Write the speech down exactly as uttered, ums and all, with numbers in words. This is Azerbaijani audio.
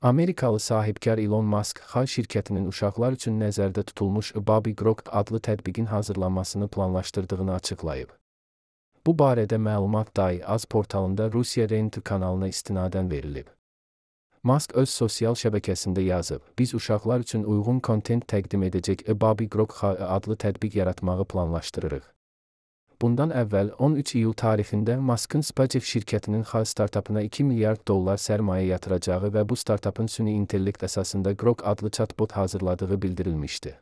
Amerikalı sahibkar Elon Musk, Xay şirkətinin uşaqlar üçün nəzərdə tutulmuş Baby Grok adlı tətbiqin hazırlanmasını planlaşdırdığını açıqlayıb. Bu barədə məlumat Day Az portalında Rusiya Rent kanalına istinadən verilib. Musk öz sosial şəbəkəsində yazıb, biz uşaqlar üçün uyğun kontent təqdim edəcək Baby Grok Xay adlı tətbiq yaratmağı planlaşdırırıq. Bundan əvvəl on üç iyul tarixində Musk'ın SpaceX şirkətinin Xay startapına iki milyard dollar sərmayə yatıracağı və bu startapın süni intellekt əsasında Grok adlı chatbot hazırladığı bildirilmişdi.